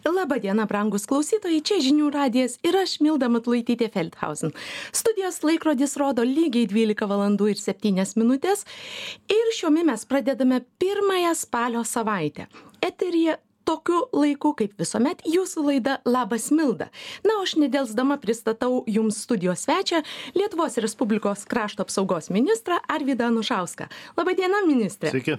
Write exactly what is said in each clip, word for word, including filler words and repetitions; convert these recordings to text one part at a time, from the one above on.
Labą dieną, brangus klausytojai, čia žinių radijas ir aš Milda Matulaitytė Feldhausen. Studijos laikrodis rodo lygiai dvylika valandų ir septynios minutės ir šiomi mes pradedame pirmąją spalio savaitę. Eteryje tokiu laiku, kaip visuomet, jūsų laida Labas Milda. Na, aš nedelsdama pristatau jums studijos svečią, Lietuvos Respublikos krašto apsaugos ministrą Arvydą Anušauską. Labą dieną, ministrė. Sveiki.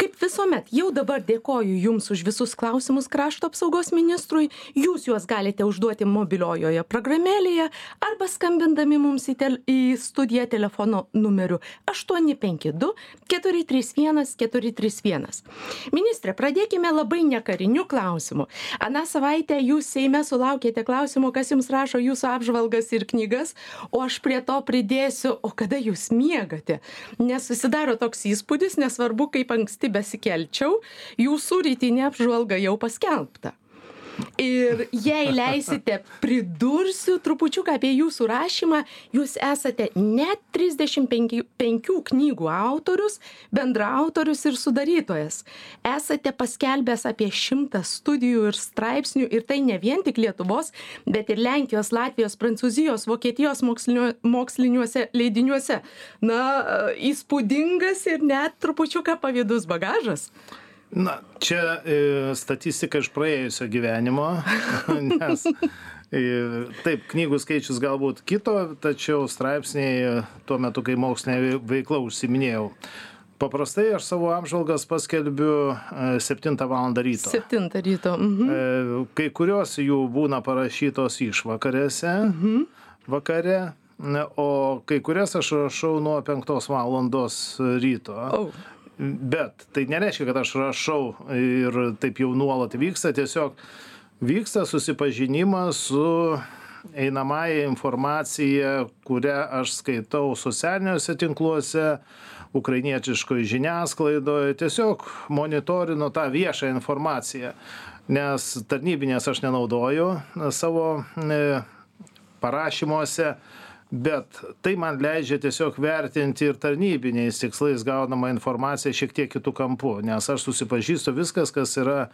Kaip visuomet, jau dabar dėkoju jums už visus klausimus krašto apsaugos ministrui. Jūs juos galite užduoti mobiliojoje programėlėje arba skambindami mums į, tel į studiją telefono numeriu aštuoni penki du keturi trys vienas keturi trys vienas. Ministrė, pradėkime labai nekariniu klausimu. Aną savaitę jūs Seime sulaukėte klausimo, kas jums rašo jūsų apžvalgas ir knygas, o aš prie to pridėsiu, o kada jūs miegate. Nes susidaro toks įspūdis, nesvarbu, kaip anksti besikelčiau, jūsų rytinė apžvalga jau paskelbta. Ir jei leisite, pridursiu trupučiuką apie jūsų rašymą. Jūs esate net trisdešimt penkių knygų autorius, bendraautorius ir sudarytojas. Esate paskelbęs apie šimtą studijų ir straipsnių, ir tai ne vien tik Lietuvos, bet ir Lenkijos, Latvijos, Prancūzijos, Vokietijos mokslinio, moksliniuose leidiniuose. Na, įspūdingas ir net trupučiuką pavydus bagažas. Na, čia e, statistika iš praėjusio gyvenimo, nes e, taip, knygų skaičius galbūt kito, tačiau straipsniai tuo metu, kai mokslinė veikla užsiminėjau. Paprastai aš savo apžvalgas paskelbiu e, septintą valandą ryto. septintą ryto. Mhm. E, kai kurios jų būna parašytos išvakarėse, mhm. vakare, o kai kurias aš rašau nuo penktos valandos ryto. Oh. Bet tai nereiškia, kad aš rašau ir taip jau nuolat vyksta, tiesiog vyksta susipažinimas su einamąja informacija, kurią aš skaitau socialiniuose tinkluose, ukrainietiškoje žiniasklaidoje, tiesiog monitorinu tą viešą informaciją, nes tarnybinės aš nenaudoju savo parašymuose, bet tai man leidžia tiesiog vertinti ir tarnybiniais tikslais gaunamą informaciją šiek tiek kitų kampų, nes aš susipažįstu viskas, kas yra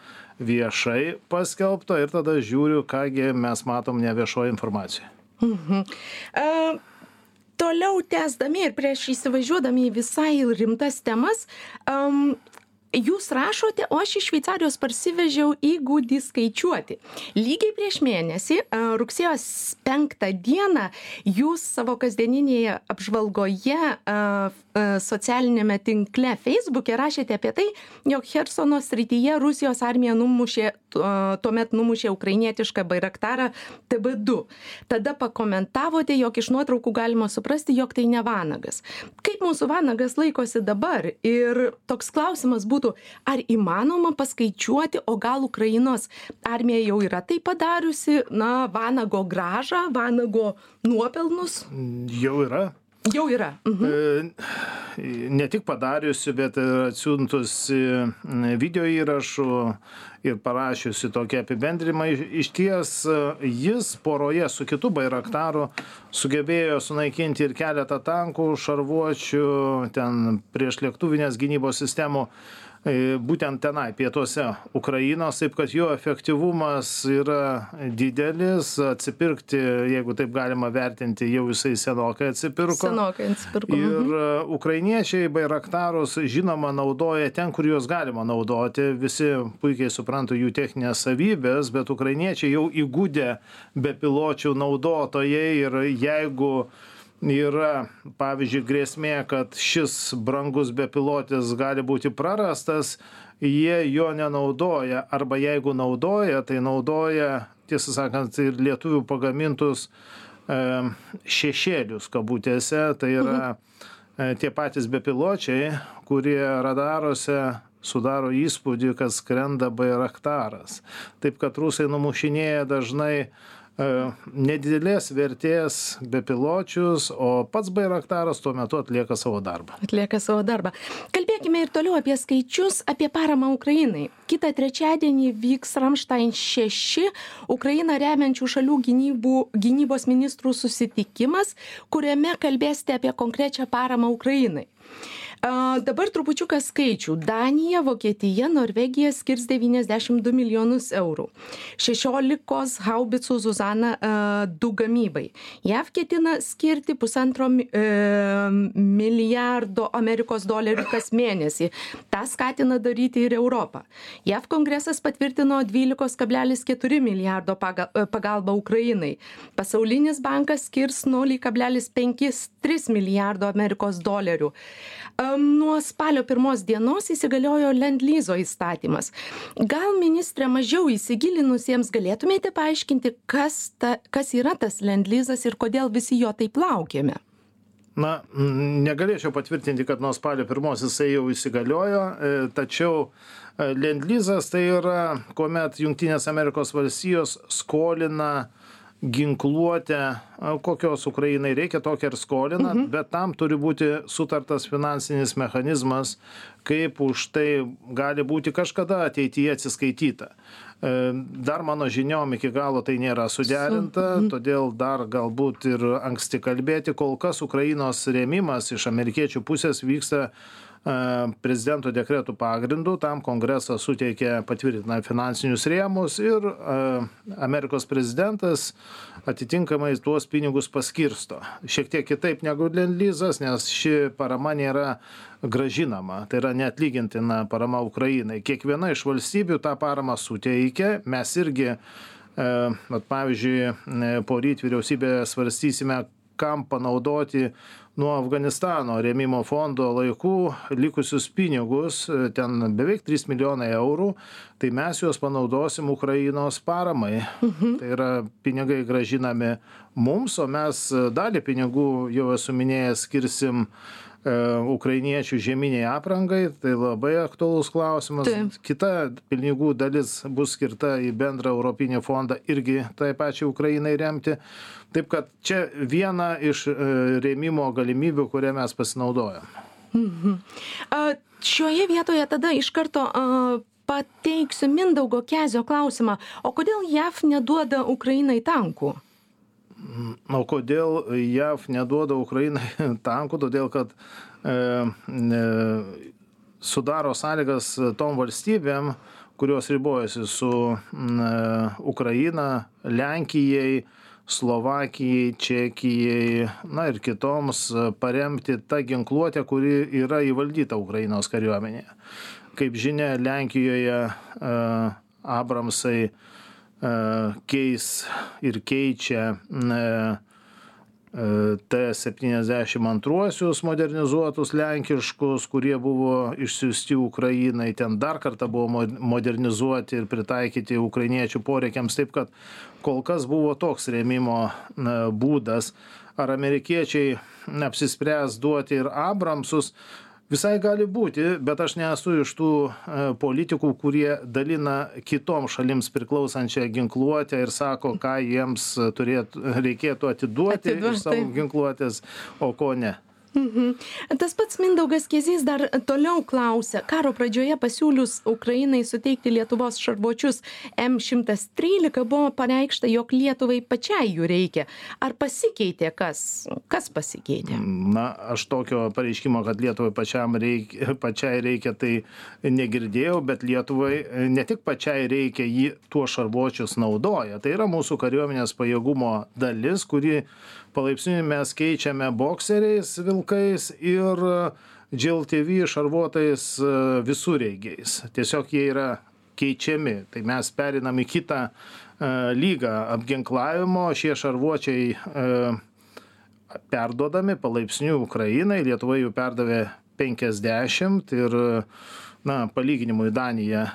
viešai paskelbta ir tada žiūriu, kągi mes matom neviešoje informacijoje. Mhm. Uh, toliau tęsdami ir prieš įsivažiuodami į visai rimtas temas, um, jūs rašote, o aš iš Šveicarijos parsivežiau įgūdį skaičiuoti. Lygiai prieš mėnesį, rugsėjo penktą dieną, jūs savo kasdieninėje apžvalgoje socialinėme tinkle Facebook'e rašėte apie tai, jog Chersono srityje Rusijos armija numušė, tuomet numušė ukrainietišką Bairaktarą T B du. Tada pakomentavote, jog iš nuotraukų galima suprasti, jog tai ne vanagas. Kaip mūsų vanagas laikosi dabar? Ir toks klausimas būtų, ar įmanoma paskaičiuoti, o gal Ukrainos armija jau yra tai padariusi, na, vanago grąžą, vanago nuopelnus? Jau yra. Jau yra. Mhm. Ne tik padariusi, bet ir atsiuntusi video įrašų ir parašiusi tokį apibendrimą. Iš ties jis poroje su kitu Bairaktaru sugebėjo sunaikinti ir keletą tankų, šarvuočių, ten priešlėktuvinės gynybos sistemų, būtent tenai, pietuose Ukrainos, taip kad jo efektyvumas yra didelis, atsipirkti, jeigu taip galima vertinti, jau jisai senokai atsipirko. Senokai atsipirko. Ir ukrainiečiai Bairaktarus, žinoma, naudoja ten, kur juos galima naudoti. Visi puikiai supranta jų techninės savybės, bet ukrainiečiai jau įgūdę bepiločių naudotojai ir jeigu yra, pavyzdžiui, grėsmė, kad šis brangus bepilotis gali būti prarastas, jie jo nenaudoja, arba jeigu naudoja, tai naudoja, tiesą sakant, ir lietuvių pagamintus e, šešėlius kabutėse, tai yra e, tie patys bepiločiai, kurie radaruose sudaro įspūdį, kad skrenda Bairaktaras. Taip kad rusai numušinėja dažnai nedidelės vertės bepiločius, o pats Bairaktaras tuo metu atlieka savo darbą. Atlieka savo darbą. Kalbėkime ir toliau apie skaičius, apie paramą Ukrainai. Kitą trečiadienį vyks Ramstein šeši Ukrainą remiančių šalių gynybų, gynybos ministrų susitikimas, kuriame kalbėsite apie konkrečią paramą Ukrainai. A, dabar trupučiuką skaičių. Danija, Vokietija, Norvegija skirs devyniasdešimt du milijonus eurų. šešiolikos haubicų Zuzana a, du gamybai. JAV ketina skirti pusantro e, milijardo Amerikos dolerių kas mėnesį. Ta skatina daryti ir Europą. JAV kongresas patvirtino dvylika kablelis keturi milijardo pagalbą Ukrainai. Pasaulinis bankas skirs nulį kablelis penki tris milijardo Amerikos dolerių. Nuo spalio pirmos dienos įsigaliojo Lend-Lyzo įstatymas. Gal, ministrė, mažiau įsigilinusiems galėtumėte paaiškinti, kas, ta, kas yra tas Lend-Lyzas ir kodėl visi jo taip laukiame? Na, negalėčiau patvirtinti, kad nuo spalio pirmos jisai jau įsigaliojo, tačiau Lend-Lyzas tai yra, kuomet Jungtinės Amerikos valstijos skolina ginkluotę, kokios Ukrainai reikia, tokią ir skolina, mhm. bet tam turi būti sutartas finansinis mechanizmas, kaip už tai gali būti kažkada ateityje atsiskaityta. Dar mano žiniom iki galo tai nėra suderinta, mhm. todėl dar galbūt ir anksti kalbėti, kol kas Ukrainos rėmimas iš amerikiečių pusės vyksta prezidento dekretų pagrindų, tam kongresas suteikė patvirtina finansinius rėmus ir Amerikos prezidentas atitinkamai tuos pinigus paskirsto. Šiek tiek kitaip negu Lend-Lyzas, nes ši parama nėra grąžinama, tai yra neatlygintina parama Ukrainai. Kiekviena iš valstybių tą paramą suteikia, mes irgi, pavyzdžiui, poryt vyriausybėje svarstysime, kam panaudoti nuo Afganistano rėmimo fondo laikų likusius pinigus, ten beveik trys milijonai eurų, tai mes juos panaudosim Ukrainos paramai. Mhm. Tai yra pinigai grąžinami mums, o mes dalį pinigų, jau esu minėjęs, skirsim ukrainiečių žieminiai aprangai, tai labai aktualus klausimas. Taip. Kita pinigų dalis bus skirta į bendrą europinį fondą irgi tai pačiai Ukrainai remti. Taip kad čia viena iš rėmimo galimybių, kurią mes pasinaudojam. Mhm. A, šioje vietoje tada iš karto a, pateiksiu Mindaugo Kezio klausimą. O kodėl JAV neduoda Ukrainai tankų? O kodėl JAV neduoda Ukrainai tankų? Todėl, kad e, e, sudaro sąlygas tom valstybėm, kurios ribojasi su e, Ukraina, Lenkijai, Slovakijai, Čekijai, na ir kitoms paremti tą ginkluotę, kuri yra įvaldyta Ukrainos kariuomenėje. Kaip žinia, Lenkijoje e, Abramsai keis ir keičia T septyniasdešimt du modernizuotus lenkiškus, kurie buvo išsiųsti Ukrainai, ten dar kartą buvo modernizuoti ir pritaikyti ukrainiečių poreikiams, taip kad kol kas buvo toks rėmimo būdas. Ar amerikiečiai apsispręs duoti ir Abramsus? Visai gali būti, bet aš nesu iš tų politikų, kurie dalina kitom šalims priklausančią ginkluotę ir sako, ką jiems turėtų, reikėtų atiduoti iš savo ginkluotės, o ko ne. Mhm. Tas pats Mindaugas Kezys dar toliau klausia. Karo pradžioje pasiūlius Ukrainai suteikti Lietuvos šarvuočius M šimtas trylika buvo pareikšta, jog Lietuvai pačiai jų reikia. Ar pasikeitė kas? Kas pasikeitė? Na, aš tokio pareiškimo, kad Lietuvai pačiam reikia, pačiai reikia, tai negirdėjau, bet Lietuvai ne tik pačiai reikia, jį tuos šarvuočius naudoja. Tai yra mūsų kariuomenės pajėgumo dalis, kuri palaipsniui mes keičiame bokseriais, vilkais ir G L T V šarvuotais visureigiais. Tiesiog jie yra keičiami. Tai mes perinam į kitą lygą apginklavimo. Šie šarvuočiai perduodami palaipsniui Ukrainai. Lietuva jų perdavė penkiasdešimt ir, na, palyginimui Danija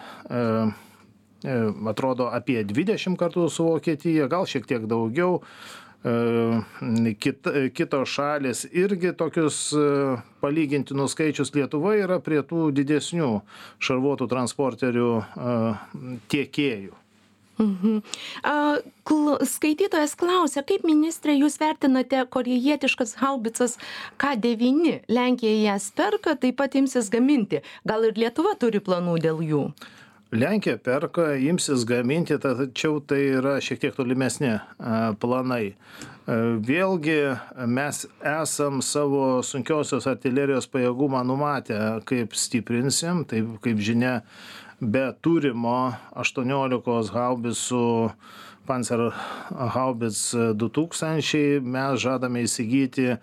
atrodo apie dvidešimt kartų su Vokietija, gal šiek tiek daugiau. Kit, kitos šalis irgi tokius palygintinus skaičius. Lietuva yra prie tų didesnių šarvuotų transporterių tiekėjų. Mhm. Skaitytojas klausia, kaip, ministrė, jūs vertinate korėjietiškas haubicas K devyni? Lenkija jas perka, taip pat imsis gaminti. Gal ir Lietuva turi planų dėl jų? Lenkija perka, imsis gaminti, tačiau tai yra šiek tiek tolimesni planai. Vėlgi mes esam savo sunkiosios artilerijos pajėgumą numatę, kaip stiprinsim, tai kaip žinia, be turimo aštuoniolikos haubicų Panzer Haubitz du tūkstančiai mes žadame įsigyti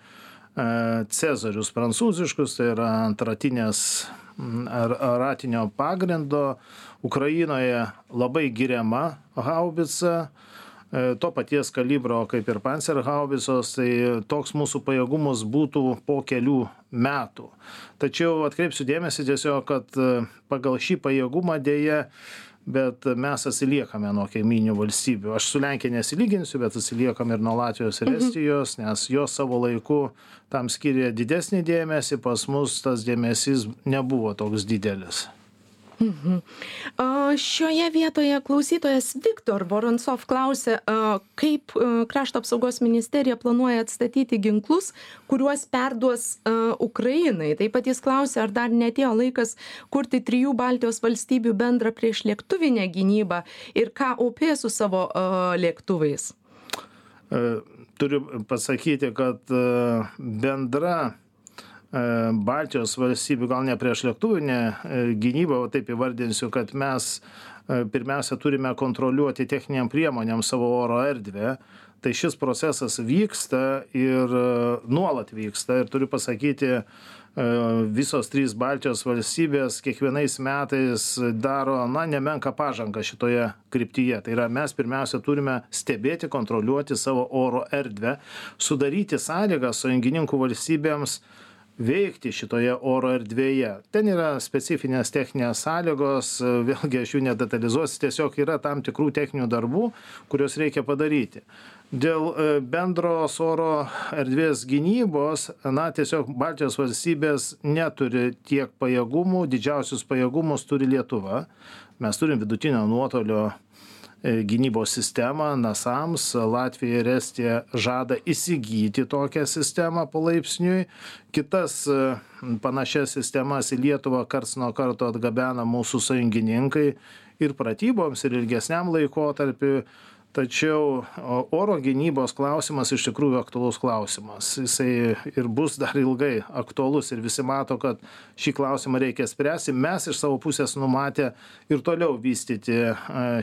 Cezarius prancūziškus, tai yra antratinės ar ratinio pagrindo. Ukrainoje labai giriama haubica, to paties kalibro kaip ir Panzer haubicos, tai toks mūsų pajėgumus būtų po kelių metų. Tačiau atkreipsiu dėmesį tiesiog, kad pagal šį pajėgumą dėja, bet mes atsiliekame nuo kaiminių valstybių. Aš su Lenkija nesilyginsiu, bet atsiliekam ir nuo Latvijos ir Estijos, nes jos savo laiku tam skiria didesnį dėmesį, pas mus tas dėmesys nebuvo toks didelis. Mhm. Šioje vietoje klausytojas Viktor Voronsov klausė, kaip Krašto apsaugos ministerija planuoja atstatyti ginklus, kuriuos perduos Ukrainai. Taip pat jis klausė, ar dar neatėjo laikas kurti trijų Baltijos valstybių bendrą priešlėktuvinę gynybą ir ką O P su savo lėktuvais. Turiu pasakyti, kad bendra Baltijos valstybių, gal ne priešlėktuvinė gynyba, o taip įvardinsiu, kad mes pirmiausia turime kontroliuoti techniniam priemonėm savo oro erdvę. Tai šis procesas vyksta ir nuolat vyksta. Ir turiu pasakyti, visos trys Baltijos valstybės kiekvienais metais daro, na, nemenką pažangą šitoje kryptyje. Tai yra, mes pirmiausia turime stebėti, kontroliuoti savo oro erdvę, sudaryti sąlygas sąjungininkų valstybėms veikti šitoje oro erdvėje. Ten yra specifinės techninės sąlygos, vėlgi aš jų nedetalizuosiu, tiesiog yra tam tikrų techninių darbų, kuriuos reikia padaryti. Dėl bendros oro erdvės gynybos, na, tiesiog Baltijos valstybės neturi tiek pajėgumų, didžiausius pajėgumus turi Lietuva. Mes turim vidutinio nuotolio gynybos sistemą NASAMS, Latvija ir Estija žada įsigyti tokią sistemą palaipsniui. Kitas panašias sistemas į Lietuvą karts nuo karto atgabena mūsų sąjungininkai ir pratyboms, ir ilgesniam laikotarpiu. Tačiau oro gynybos klausimas iš tikrųjų aktualus klausimas. Jisai ir bus dar ilgai aktualus ir visi mato, kad šį klausimą reikia spręsti. Mes iš savo pusės numatę ir toliau vystyti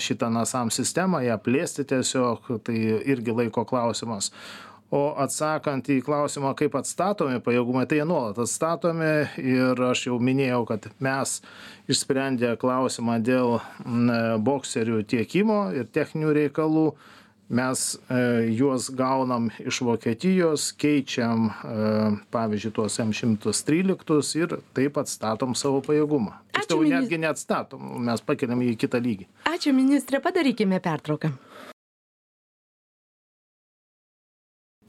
šitą NASAM sistemą, ją plėsti tiesiog, tai irgi laiko klausimas. O atsakant į klausimą, kaip atstatomi pajėgumai, tai jie nuolat atstatomi ir aš jau minėjau, kad mes išsprendę klausimą dėl bokserių tiekimo ir techninių reikalų, mes juos gaunam iš Vokietijos, keičiam, pavyzdžiui, tuos M šimtas trylika ir taip atstatom savo pajėgumą. Tiksliau, netgi neatstatom, mes pakeliam į kitą lygį. Ačiū, ministrė, padarykime pertrauką.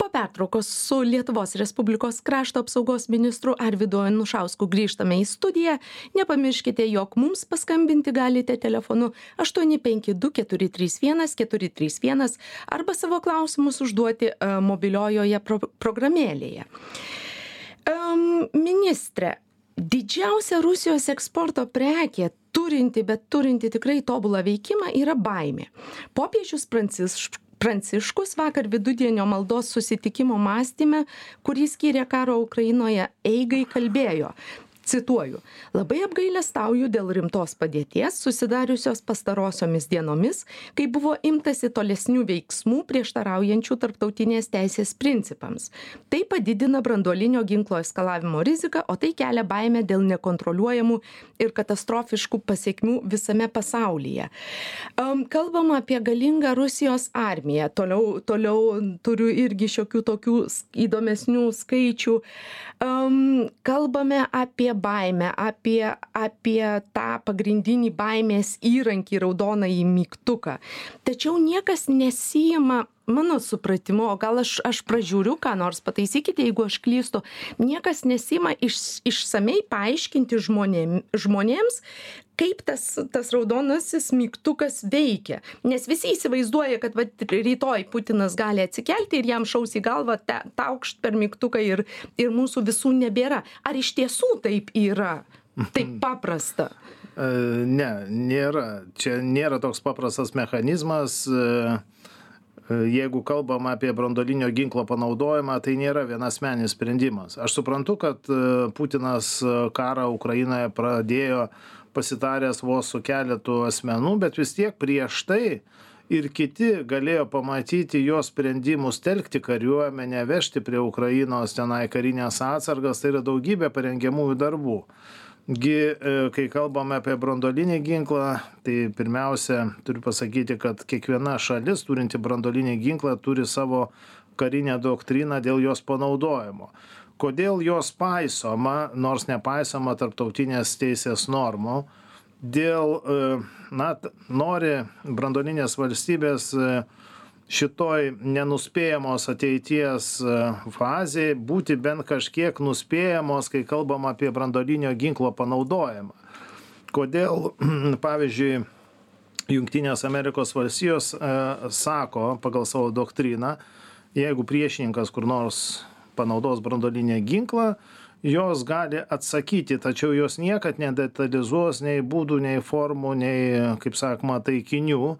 Pertraukos su Lietuvos Respublikos krašto apsaugos ministru Arvydu Anušausku grįžtame į studiją. Nepamirškite, jog mums paskambinti galite telefonu aštuoni penki du keturi trys vienas keturi trys vienas arba savo klausimus užduoti uh, mobiliojoje pro programėlėje. Um, ministre, didžiausia Rusijos eksporto prekė, turinti, bet turinti tikrai tobulą veikimą, yra baimė. Popiežius Pranciškus Pranciškus vakar vidudienio maldos susitikimo mąstyme, kurį skyrė karo Ukrainoje eigai, kalbėjo. Cituoju, labai apgailestauju dėl rimtos padėties susidariusios pastarosiomis dienomis, kai buvo imtasi tolesnių veiksmų prieštaraujančių tarptautinės teisės principams. Tai padidina branduolinio ginklo eskalavimo riziką, o tai kelia baimę dėl nekontroliuojamų ir katastrofiškų pasiekmių visame pasaulyje. Um, kalbama apie galingą Rusijos armiją. Toliau, toliau turiu irgi šiokių tokių įdomesnių skaičių. Um, kalbame apie baimę, apie, apie tą pagrindinį baimės įrankį, raudonąjį mygtuką. Tačiau niekas nesijima, mano supratimu, o gal aš, aš pražiūriu, ką nors pataisykite, jeigu aš klystu, niekas nesijima iš, išsamei paaiškinti žmonėm, žmonėms, kaip tas, tas raudonasis mygtukas veikia. Nes visi įsivaizduoja, kad va, rytoj Putinas gali atsikelti ir jam šaus į galvą taukšt per mygtuką ir, ir mūsų visų nebėra. Ar iš tiesų taip yra? Taip paprasta? Ne, nėra. Čia nėra toks paprastas mechanizmas. Jeigu kalbam apie branduolinio ginklo panaudojimą, tai nėra vienasmenis sprendimas. Aš suprantu, kad Putinas karą Ukrainoje pradėjo pasitaręs vos su keletu asmenų, bet vis tiek prieš tai ir kiti galėjo pamatyti jo sprendimus telkti kariuomenę, vežti prie Ukrainos tenai karinės atsargas, tai yra daugybė parengiamųjų darbų. Gi, kai kalbame apie branduolinį ginklą, tai pirmiausia, turiu pasakyti, kad kiekviena šalis turinti branduolinį ginklą turi savo karinę doktriną dėl jos panaudojimo. Kodėl jos paisoma, nors nepaisoma tarptautinės teisės normų, dėl, na, nori branduolinės valstybės šitoj nenuspėjamos ateities fazėje būti bent kažkiek nuspėjamos, kai kalbam apie branduolinio ginklo panaudojimą. Kodėl, pavyzdžiui, Jungtinės Amerikos valstijos e, sako pagal savo doktriną, jeigu priešininkas kur nors panaudos branduolinį ginklą, jos gali atsakyti, tačiau jos niekad nedetalizuos nei būdų, nei formų, nei, kaip sakoma, taikinių.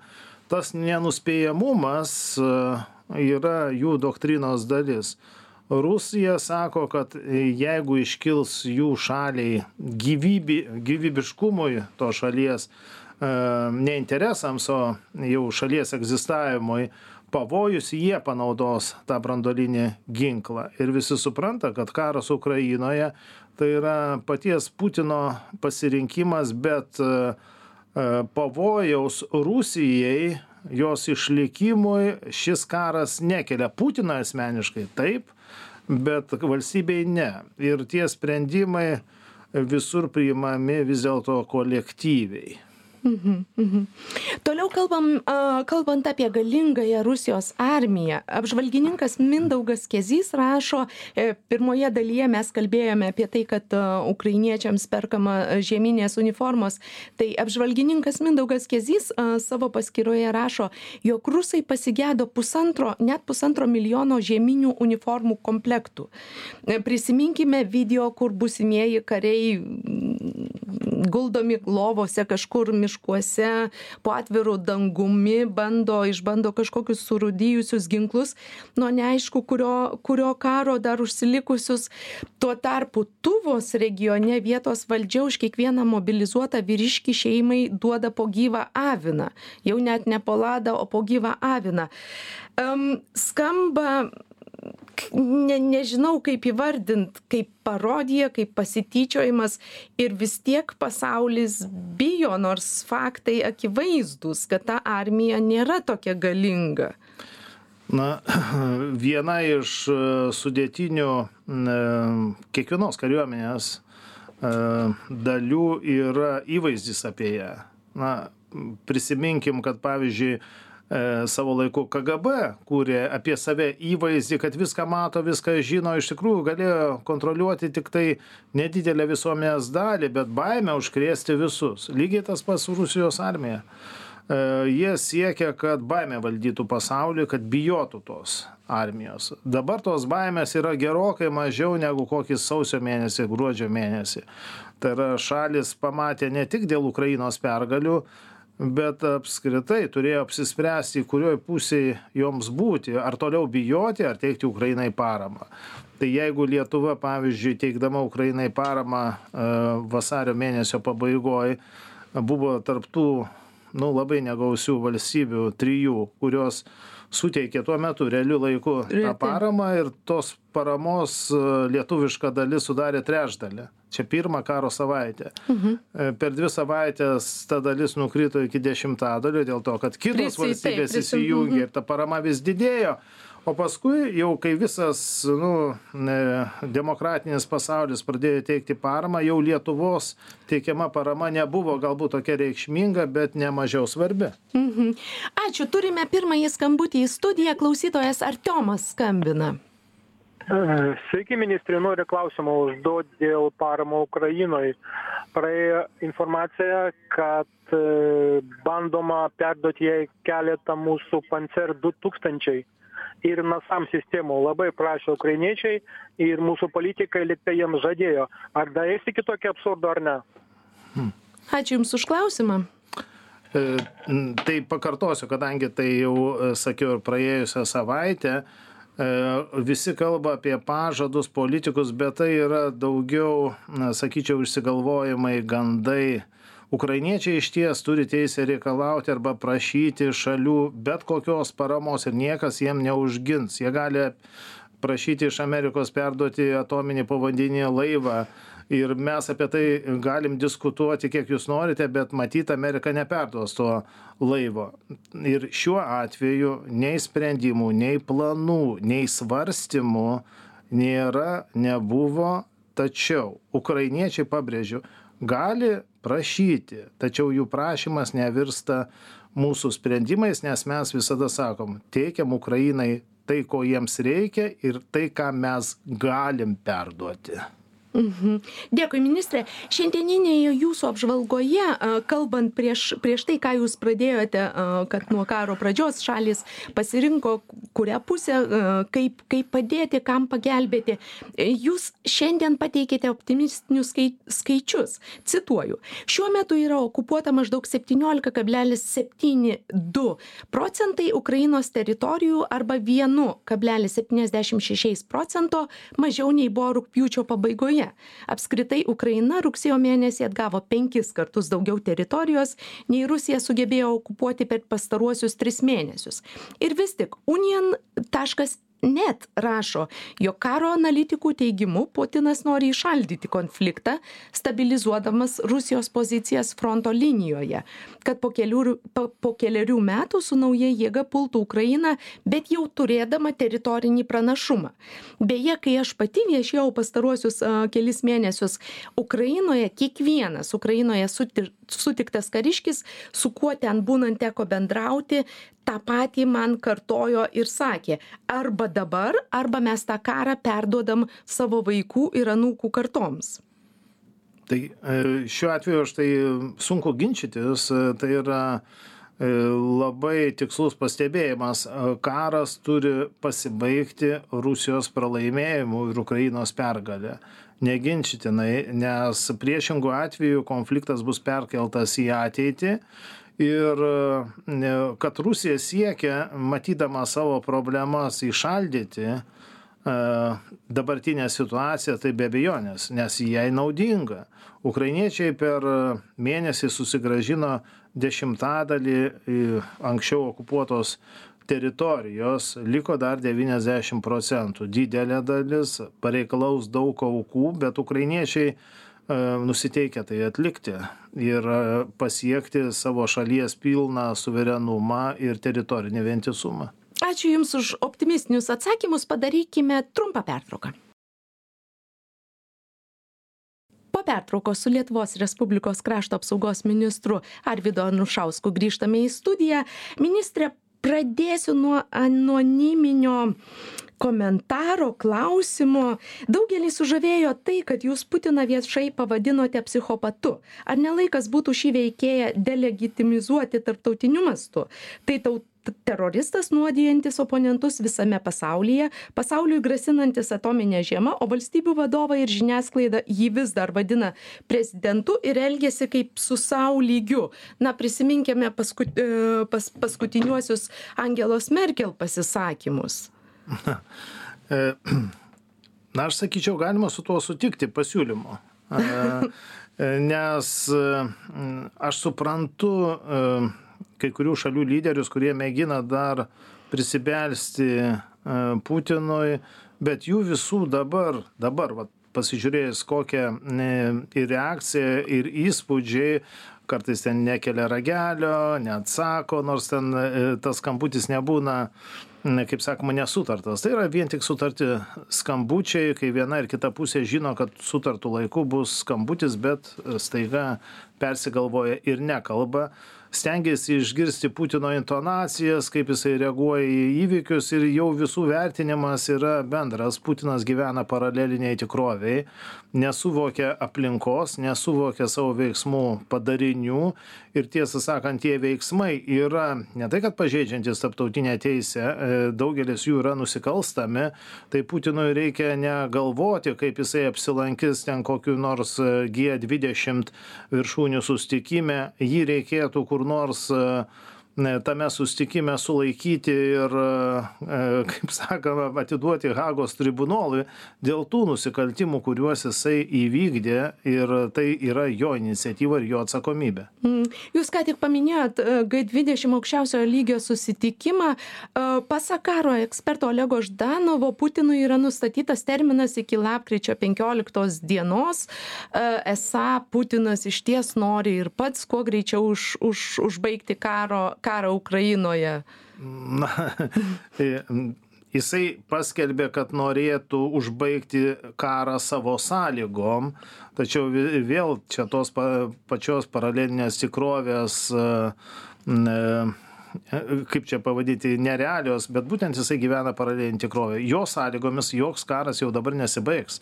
Tas nenuspėjamumas yra jų doktrinos dalis. Rusija sako, kad jeigu iškils jų šaliai gyvybi, gyvybiškumui to šalies ne interesams, o jau šalies egzistavimui pavojus, jie panaudos tą branduolinį ginklą. Ir visi supranta, kad karas Ukrainoje tai yra paties Putino pasirinkimas, bet pavojaus Rusijai, jos išlikimui šis karas nekelia. Putiną asmeniškai taip, bet valstybei ne. Ir tie sprendimai visur priimami vis dėlto kolektyviai. Mhm, mhm. Toliau kalbam, kalbant apie galingąją Rusijos armiją. Apžvalgininkas Mindaugas Kezys rašo, pirmoje dalyje mes kalbėjome apie tai, kad ukrainiečiams perkama žieminės uniformos. Tai apžvalgininkas Mindaugas Kezys savo paskyroje rašo, jog rusai pasigėdo pusantro, net pusantro milijono žieminių uniformų komplektų. Prisiminkime video, kur būsimieji kariai guldomi lovose kažkur miškuose, po atviru dangumi, bando, išbando kažkokius surūdijusius ginklus, nuo neaišku, kurio, kurio karo dar užsilikusius. Tuo tarpu Tuvos regione vietos valdžia už kiekvieną mobilizuotą vyriškį šeimai duoda po gyvą aviną. Jau net ne po ladą, o po gyvą aviną. Um, skamba... Ne, nežinau, kaip įvardint, kaip parodija, kaip pasityčiojimas ir vis tiek pasaulis bijo, nors faktai akivaizdus, kad ta armija nėra tokia galinga. Na, viena iš sudėtinių kiekvienos kariuomenės dalių yra įvaizdis apie ją. Na, prisiminkim, kad pavyzdžiui, savo laiku K G B kūrė apie save įvaizdį, kad viską mato, viską žino, iš tikrųjų galėjo kontroliuoti tik tai nedidelę visuomenės dalį, bet baimę užkrėsti visus. Lygiai tas pats Rusijos armija. Jie siekia, kad baimė valdytų pasaulį, kad bijotų tos armijos. Dabar tos baimės yra gerokai mažiau negu kokį sausio mėnesį, gruodžio mėnesį. Tai yra šalis pamatė ne tik dėl Ukrainos pergalių, bet apskritai turėjo apsispręsti, kurioj pusėje joms būti, ar toliau bijoti, ar teikti Ukrainai paramą. Tai jeigu Lietuva, pavyzdžiui, teikdama Ukrainai paramą vasario mėnesio pabaigoje, buvo tarptų, nu, labai negausių valstybių, trijų, kurios suteikė tuo metu realiu laiku tą paramą ir tos paramos lietuviška dalis sudarė trečdalį. Čia pirmą karo savaitę. Mhm. Per dvi savaitės ta dalis nukrito iki dešimtadalio dėl to, kad kitos Prisi, valstybės taip, įsijungė mhm. ir ta parama vis didėjo. O paskui jau kai visas nu, demokratinis pasaulis pradėjo teikti paramą, jau Lietuvos teikiama parama nebuvo galbūt tokia reikšminga, bet ne mažiau svarbi. Mhm. Ačiū, turime pirmąjį skambutį į studiją, klausytojas Artiomas skambina. Sveiki, ministrė, noriu klausimą užduoti dėl paramo Ukrainoje. Praėjo informacija, kad bandoma perduoti jai keletą mūsų Panzer du tūkstančiai ir NASAM sistemų. Labai prašė ukrainiečiai ir mūsų politikai lyg tai jiems žadėjo. Ar darėsi kitokį absurdą ar ne? Hmm. Ačiū Jums už klausimą. Tai pakartosiu, kadangi tai jau sakiau ir praėjusią savaitę, visi kalba apie pažadus politikus, bet tai yra daugiau, na, sakyčiau, išsigalvojimai, gandai. Ukrainiečiai iš ties turi teisę reikalauti arba prašyti šalių bet kokios paramos ir niekas jiem neužgins. Jie gali prašyti iš Amerikos perduoti atominį povandeninį laivą. Ir mes apie tai galim diskutuoti, kiek jūs norite, bet matyt, Amerika neperduos to laivo. Ir šiuo atveju nei sprendimų, nei planų, nei svarstymų nėra, nebuvo, tačiau ukrainiečiai, pabrėžiu, gali prašyti, tačiau jų prašymas nevirsta mūsų sprendimais, nes mes visada sakom, teikiam Ukrainai tai, ko jiems reikia ir tai, ką mes galim perduoti. Mhm. Dėkui, ministrė. Šiandieninėje jūsų apžvalgoje, kalbant prieš, prieš tai, ką jūs pradėjote, kad nuo karo pradžios šalis pasirinko, kurią pusę, kaip, kaip padėti, kam pagelbėti, jūs šiandien pateikėte optimistinius skaičius. Cituoju, šiuo metu yra okupuota maždaug septyniolika kablelis septyni du procentai Ukrainos teritorijų arba vienu kablelis septyniasdešimt šeši procento mažiau nei buvo rugpjūčio pabaigoje. Apskritai Ukraina rugsėjo mėnesį atgavo penkis kartus daugiau teritorijos, nei Rusija sugebėjo okupuoti per pastaruosius tris mėnesius. Ir vis tik union taškas net rašo, jog karo analitikų teigimu Putinas nori įšaldyti konfliktą, stabilizuodamas Rusijos pozicijas fronto linijoje, kad po kelių, po, po keliarių metų su nauja jėga pultų Ukrainą, bet jau turėdama teritorinį pranašumą. Beje, kai aš pati viešėjau pastaruosius uh, kelis mėnesius Ukrainoje, kiekvienas Ukrainoje suti, sutiktas kariškis, su kuo ten būnant teko bendrauti, tą patį man kartojo ir sakė, arba dabar, arba mes tą karą perduodam savo vaikų ir anūkų kartoms. Tai šiuo atveju aš tai sunku ginčytis, tai yra labai tikslus pastebėjimas. Karas turi pasibaigti Rusijos pralaimėjimu ir Ukrainos pergalė. Neginčytinai, nes priešingų atveju konfliktas bus perkeltas į ateitį. Ir kad Rusija siekia, matydama savo problemas, įšaldyti dabartinę situaciją, tai be abejonės, nes jai naudinga. Ukrainiečiai per mėnesį susigrąžino dešimtadalį anksčiau okupuotos teritorijos, liko dar devyniasdešimt procentų. Didelė dalis pareikalaus daug aukų, bet ukrainiečiai nusiteikę tai atlikti ir pasiekti savo šalies pilną suverenumą ir teritorinį vientisumą. Ačiū Jums už optimistinius atsakymus, padarykime trumpą pertrauką. Po pertraukos su Lietuvos Respublikos krašto apsaugos ministru Arvydu Anušausku grįžtame į studiją. Ministrė, pradėsiu nuo anoniminio komentaro, klausimo. Daugelį sužavėjo tai, kad jūs Putiną viešai pavadinote psichopatu. Ar ne laikas būtų šį veikėją delegitimizuoti tarptautiniu mastu? Tai taut, teroristas nuodijantis oponentus visame pasaulyje, pasauliui grasinantis atominę žiemą, o valstybių vadovai ir žiniasklaida jį vis dar vadina prezidentu ir elgiasi kaip su sau lygiu. Na, prisiminkime paskut, pas, paskutiniuosius Angelos Merkel pasisakymus. Na, aš sakyčiau, galima su tuo sutikti pasiūlymu, nes aš suprantu kai kurių šalių lyderius, kurie mėgina dar prisibelsti Putinui, bet jų visų dabar, dabar vat, pasižiūrėjus kokią ir reakciją, ir įspūdžiai, kartais ten nekelia ragelio, neatsako, nors ten tas skambutis nebūna, kaip sakoma, nesutartas. Tai yra vien tik sutarti skambučiai, kai viena ir kita pusė žino, kad sutartų laiku bus skambutis, bet staiga persigalvoja ir nekalba. stengiasi išgirsti Putino intonacijas, kaip jisai reaguoja į įvykius ir jau visų vertinimas yra bendras. Putinas gyvena paraleliniai tikroviai, nesuvokia aplinkos, nesuvokia savo veiksmų padarinių ir tiesą sakant, tie veiksmai yra ne tai, kad pažeidžiantis tarptautinę teisę, daugelis jų yra nusikalstami, tai Putinui reikia negalvoti, kaip jisai apsilankys ten kokiu nors G dvidešimt viršūnių susitikime, jį reikėtų kur nors tame susitikime sulaikyti ir, kaip sakoma, atiduoti Hagos tribunolui dėl tų nusikaltimų, kuriuos jisai įvykdė ir tai yra jo iniciatyva ir jo atsakomybė. Jūs ką tik paminėjot G dvidešimt aukščiausiojo lygio susitikimą. Pasak karo eksperto Olego Ždanovo, Putinui yra nustatytas terminas iki lapkričio penkioliktos dienos. Esą Putinas išties nori ir pats kuo greičiau už, už, užbaigti karo karą Ukrainoje. Na, jisai paskelbė, kad norėtų užbaigti karą savo sąlygom, tačiau vėl čia tos pačios paralelinės tikrovės, kaip čia pavadyti, nerealios, bet būtent jisai gyvena paralelinį tikrovę. Jo sąlygomis joks karas jau dabar nesibaigs.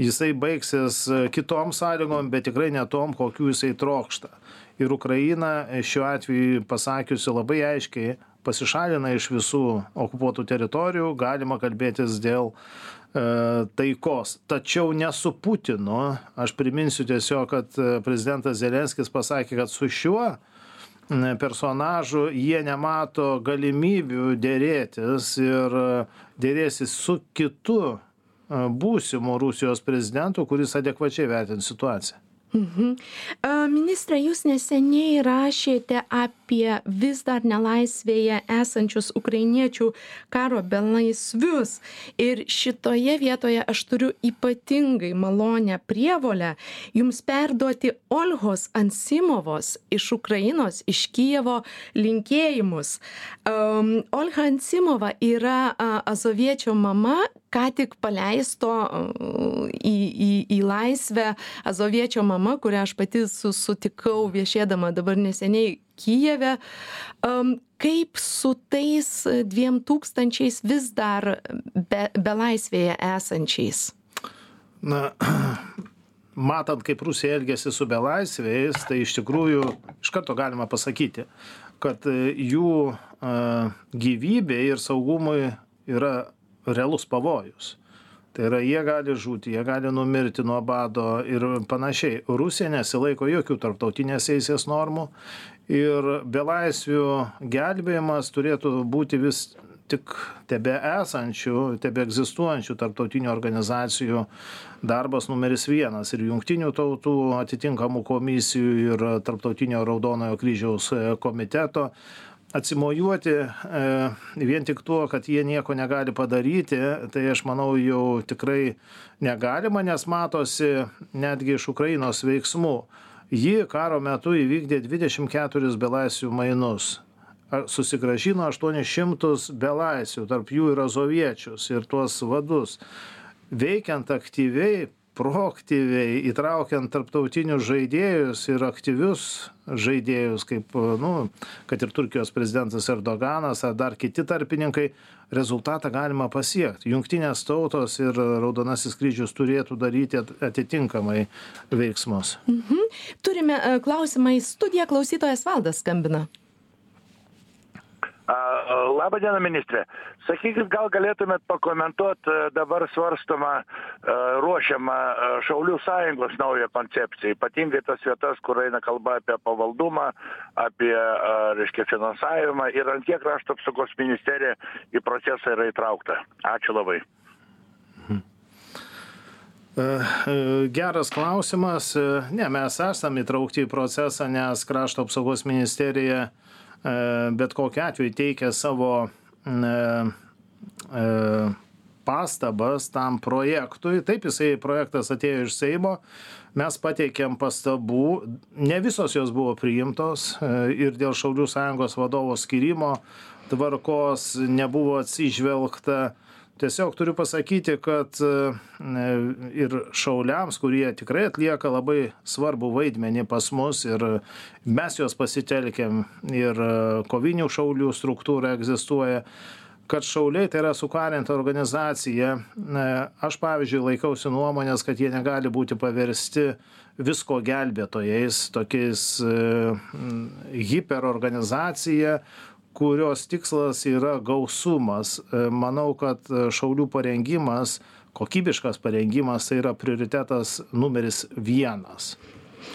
Jisai baigsis kitom sąlygom, bet tikrai ne tom, kokių jisai trokšta. Ir Ukraina šiuo atveju pasakiusi labai aiškiai pasišalina iš visų okupuotų teritorijų, galima kalbėtis dėl e, taikos. Tačiau ne su Putinu. Aš priminsiu tiesiog, kad prezidentas Zelenskis pasakė, kad su šiuo personažu jie nemato galimybių dėrėtis ir dėrėsis su kitu būsimu Rusijos prezidentu, kuris adekvačiai vertins situaciją. Mhm. Ministre, jūs neseniai rašėte apie vis dar nelaisvėje esančius ukrainiečių karo belaisvius. Ir šitoje vietoje aš turiu ypatingai malonę prievolę jums perduoti Olhos Ansimovos iš Ukrainos, iš Kijevo linkėjimus. Um, Olha Ansimova yra uh, azoviečio mama, ką tik paleisto į, į, į laisvę azoviečio mama, kurią aš pati sutikau viešėdama dabar neseniai Kijeve. Um, kaip su tais dviem tūkstančiais vis dar be, belaisvėje esančiais? Na, matant, kaip Rusija elgėsi su belaisviais, tai iš tikrųjų iš karto galima pasakyti, kad jų uh, gyvybė ir saugumui yra realus pavojus. Tai yra, jie gali žūti, jie gali numirti nuo bado ir panašiai. Rusija nesilaiko jokių tarptautinės teisės normų ir belaisvių gelbėjimas turėtų būti vis tik tebe esančių, tebe egzistuojančių tarptautinių organizacijų darbas numeris vienas ir jungtinių tautų atitinkamų komisijų ir tarptautinio Raudonojo kryžiaus komiteto. Atsimojuoti e, vien tik tuo, kad jie nieko negali padaryti, tai aš manau jau tikrai negalima, nes matosi netgi iš Ukrainos veiksmų. Ji karo metu įvykdė dvidešimt keturis belaisvių mainus. Susigrąžino aštuonis šimtus belaisvių, tarp jų ir azoviečius, ir tuos vadus. Veikiant aktyviai, proaktyviai, įtraukiant tarptautinius žaidėjus ir aktyvius žaidėjus, kaip, nu, kad ir Turkijos prezidentas Erdoganas ar dar kiti tarpininkai, rezultatą galima pasiekti. Jungtinės tautos ir Raudonasis kryžius turėtų daryti atitinkamai veiksmus. Mhm. Turime klausimą į studiją, klausytojas Valdas skambina. Labą dieną, ministrė. Sakykit, gal galėtumėt pakomentuoti dabar svarstomą, ruošiamą Šaulių sąjungos naują koncepciją, ypatingai tas vietas, kur eina kalba apie pavaldumą, apie, reiškia, finansavimą ir ant kiek krašto apsaugos ministerija į procesą yra įtraukta. Ačiū labai. Geras klausimas. Ne, mes esame įtraukti į procesą, nes krašto apsaugos ministerija bet kokiu atveju teikia savo pastabas tam projektui. Taip, jisai projektas atėjo iš Seimo, mes pateikėm pastabų, ne visos jos buvo priimtos ir dėl Šaulių sąjungos vadovo skyrimo tvarkos nebuvo atsižvelgta. Tiesiog turiu pasakyti, kad ir šauliams, kurie tikrai atlieka labai svarbų vaidmenį pas mus ir mes juos pasitelkiam ir kovinių šaulių struktūra egzistuoja, kad šauliai tai yra sukarinta organizacija. Aš, pavyzdžiui, laikausi nuomonės, kad jie negali būti paversti visko gelbėtojais, tokiais hiperorganizacija, kurios tikslas yra gausumas. Manau, kad šaulių parengimas, kokybiškas parengimas tai yra prioritetas numeris vienas.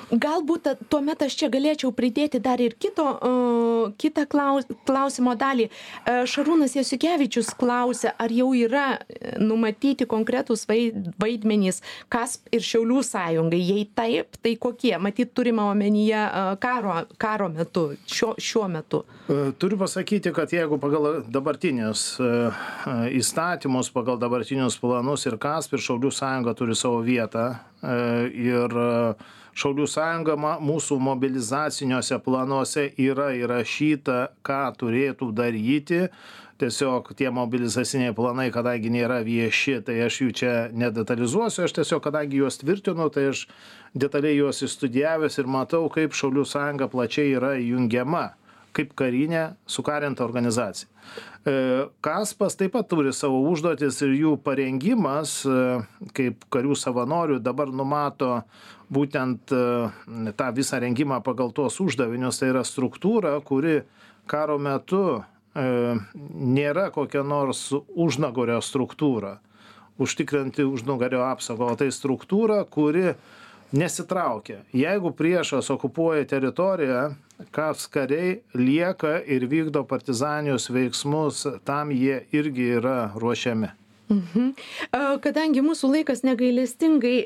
Galbūt tuomet aš čia galėčiau pridėti dar ir kito, uh, kitą klaus, klausimo dalį. Uh, Šarūnas Jasiukevičius klausia, ar jau yra numatyti konkretus vaidmenys KASP ir Šiaulių sąjungai. Jei taip, tai kokie? Matyt, turime omenyje uh, karo, karo metu, šiuo, šiuo metu. Turiu pasakyti, kad jeigu pagal dabartinius uh, įstatymus, pagal dabartinius planus ir KASP ir Šiaulių sąjunga turi savo vietą uh, ir uh, Šaulių sąjunga mūsų mobilizaciniuose planuose yra įrašyta, ką turėtų daryti. Tiesiog tie mobilizaciniai planai, kadangi nėra vieši, tai aš jų čia nedetalizuosiu. Aš tiesiog, kadangi juos tvirtinu, tai aš detaliai juos įstudijavęs ir matau, kaip Šaulių sąjunga plačiai yra jungiama kaip karinė sukarinta organizacija. KASPas taip pat turi savo užduotis ir jų parengimas kaip karių savanorių dabar numato būtent tą visą rengimą pagal tuos uždavinius. Tai yra struktūra, kuri karo metu nėra kokia nors užnugario struktūra, užtikrinti užnugario apsaugą, o tai struktūra, kuri nesitraukia. Jeigu priešas okupuoja teritoriją, KASP kariai lieka ir vykdo partizaninius veiksmus, tam jie irgi yra ruošiami. Mhm. Kadangi mūsų laikas negailestingai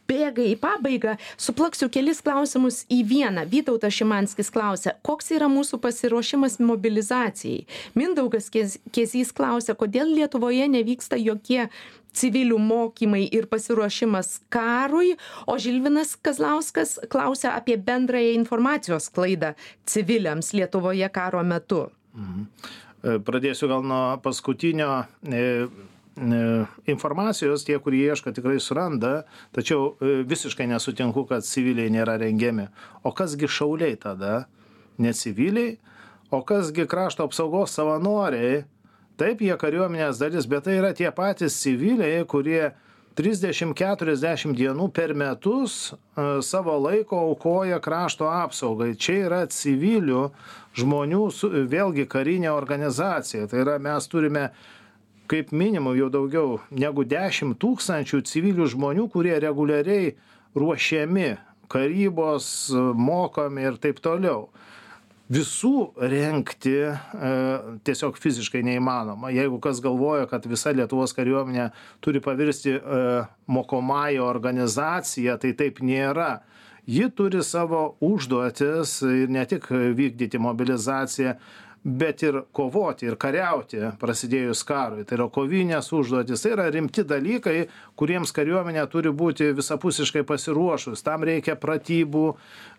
bėga į pabaigą, suplaksiu kelis klausimus į vieną. Vytautas Šimanskis klausia, koks yra mūsų pasiruošimas mobilizacijai? Mindaugas Kezys klausia, kodėl Lietuvoje nevyksta jokie civilių mokymai ir pasiruošimas karui, o Žilvinas Kazlauskas klausia apie bendrąją informacijos sklaidą civiliams Lietuvoje karo metu. Mhm. Pradėsiu gal nuo paskutinio. Informacijos, tie, kurie ieško, tikrai suranda, tačiau visiškai nesutinku, kad civiliai nėra rengiami. O kasgi šauliai tada? Ne civiliai, o kasgi krašto apsaugos savanoriai? Taip, jie kariuomenės dalis, bet tai yra tie patys civiliai, kurie trisdešimt keturiasdešimt dienų per metus savo laiko aukoja krašto apsaugai. Čia yra civilių žmonių, vėlgi karinė organizacija. Tai yra, mes turime kaip minimum jau daugiau negu dešimt tūkstančių civilių žmonių, kurie reguliariai ruošiami, karybos, mokomi ir taip toliau. Visų rengti e, tiesiog fiziškai neįmanoma. Jeigu kas galvoja, kad visa Lietuvos kariuomenė turi pavirsti e, mokomąją organizaciją, tai taip nėra. Ji turi savo užduotis ir ne tik vykdyti mobilizaciją, bet ir kovoti ir kariauti prasidėjus karui. Tai yra kovinės užduotis, tai yra rimti dalykai, kuriems kariuomenė turi būti visapusiškai pasiruošus. Tam reikia pratybų,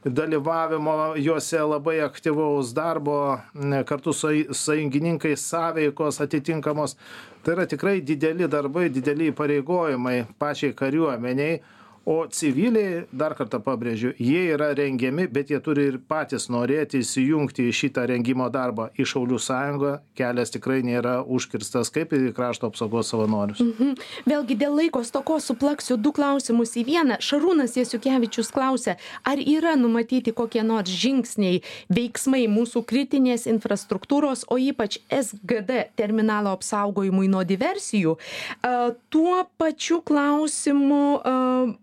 dalyvavimo juose, labai aktyvaus darbo, kartu su sąjungininkais sąveikos atitinkamos. Tai yra tikrai dideli darbai, dideli įpareigojimai pačiai kariuomeniai. O civiliai, dar kartą pabrėžiu, jie yra rengiami, bet jie turi ir patys norėti įsijungti į šitą rengimo darbą. Į Šaulių sąjungą kelias tikrai nėra užkirstas, kaip ir į krašto apsaugos savanorius. Mhm. Vėlgi dėl laiko stokos suplaksiu du klausimus į vieną. Šarūnas Jasiukevičius klausia, ar yra numatyti kokie nors žingsniai, veiksmai mūsų kritinės infrastruktūros, o ypač S G D terminalo apsaugojimui nuo diversijų. Uh, tuo pačiu klausimu uh,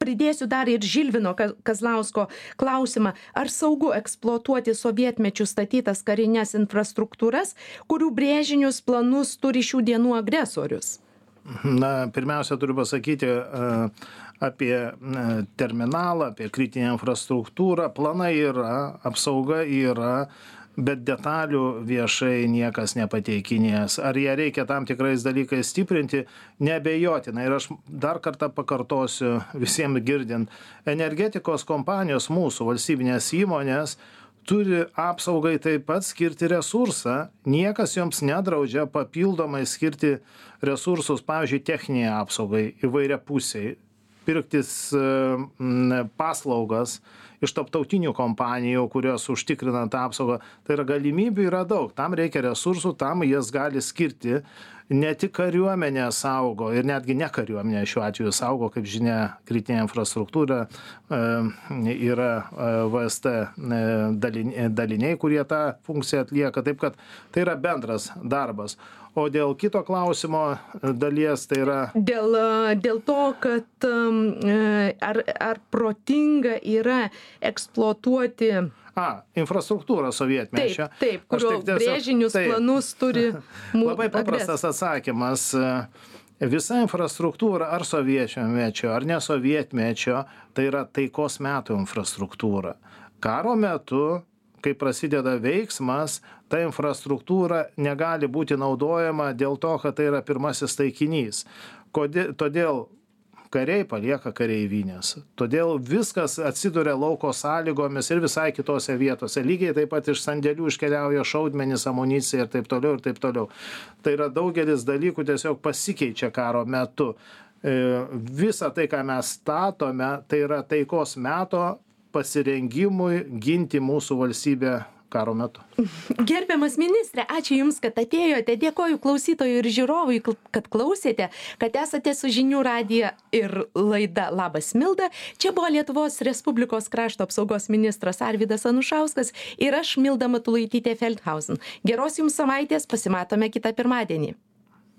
pridėsiu dar ir Žilvino Kazlausko klausimą, ar saugu eksploatuoti sovietmečių statytas karinės infrastruktūras, kurių brėžinius planus turi šių dienų agresorius? Na, pirmiausia, turiu pasakyti uh, apie uh, terminalą, apie kritinę infrastruktūrą. Planai yra, apsauga yra, bet detalių viešai niekas nepateikinės. Ar ją reikia tam tikrais dalykais stiprinti? Neabejotinai. Ir aš dar kartą pakartosiu visiems girdint. Energetikos kompanijos mūsų valstybinės įmonės turi apsaugai taip pat skirti resursą. Niekas joms nedraudžia papildomai skirti resursus, pavyzdžiui, techniniai apsaugai įvairiapusiai, pirktis paslaugas iš tarptautinių kompanijų, kurios užtikrina tą apsaugą. Tai yra galimybių yra daug, tam reikia resursų, tam jas gali skirti. Ne tik kariuomenė saugo ir netgi ne kariuomenė šiuo atveju saugo, kaip žinia, kritinė infrastruktūra, yra V S T daliniai, kurie tą funkciją atlieka, taip kad tai yra bendras darbas. O dėl kito klausimo dalies, tai yra... Dėl, dėl to, kad ar, ar protinga yra eksploatuoti... A, infrastruktūra sovietmečio. Taip, taip, kurio tiesiog, brėžinius taip, planus turi mūsų. Labai paprastas atsakymas. Visa infrastruktūra ar sovietmečio, ar ne sovietmečio, tai yra taikos metų infrastruktūra. Karo metu, kai prasideda veiksmas, ta infrastruktūra negali būti naudojama dėl to, kad tai yra pirmasis taikinys. Kodėl, todėl kariai palieka kareivinės. Todėl viskas atsiduria lauko sąlygomis ir visai kitose vietose. Lygiai taip pat iš sandėlių iškeliauja šaudmenys, amunicija ir taip toliau ir taip toliau. Tai yra daugelis dalykų tiesiog pasikeičia karo metu. Visa tai, ką mes statome, tai yra taikos meto pasirengimui ginti mūsų valstybę karo metu. Gerbiamas ministre, ačiū Jums, kad atėjote. Dėkoju klausytojui ir žiūrovui, kad klausėte, kad esate su Žinių radija ir laida Labas Milda. Čia buvo Lietuvos Respublikos krašto apsaugos ministras Arvydas Anušauskas ir aš, Milda Matulaitytė Feldhausen. Geros Jums savaitės, pasimatome kitą pirmadienį.